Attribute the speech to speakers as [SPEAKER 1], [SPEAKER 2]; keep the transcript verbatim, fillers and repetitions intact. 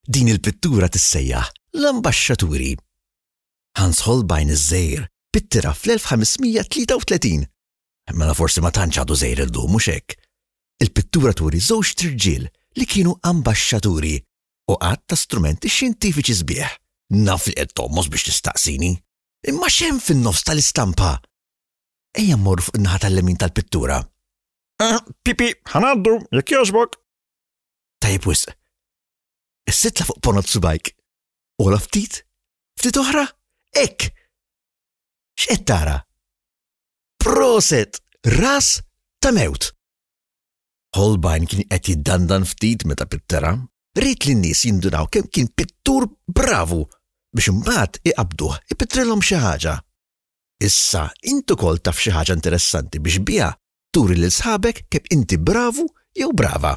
[SPEAKER 1] Din il-pittura tissejjaħ L-Ambaxxaturi. Hans Holbein iż-żgħir pittira fl-elf ħames mija tlieta u tletin. Mela forsi ma tantx għadu żgħir illum, mhux hekk? Il-pittura turi żewġ irġiel li kienu ambaxxaturi u għadd ta' strumenti xjentifiċi sbieħ. Naf li qed tommos biex tistaqsini. Imma x'hemm fin-nofs tal-istampa? Ejja mmorru fuq in-naħa tal-lemin tal-pittura.
[SPEAKER 2] Uh, pipi, ħa ngħaddu, jekk jogħġbok.
[SPEAKER 1] Tajjeb wisq. Issa itla' fuq ponot subgħajk. Ogħla ftit? Ftit oħra? Hekk! X'qed tara? Prosit! Ras ta' mewt. Holbein kien qed jiddandan ftit meta pittera. Ried li n-nies jindunaw kemm kien pittur bravu biex imbagħad iqabduh ipittrilhom xi ħaġa. Issa int ukoll taf xi ħaġa interessanti biex biha turi lil sħabek kemm inti bravu jew brava.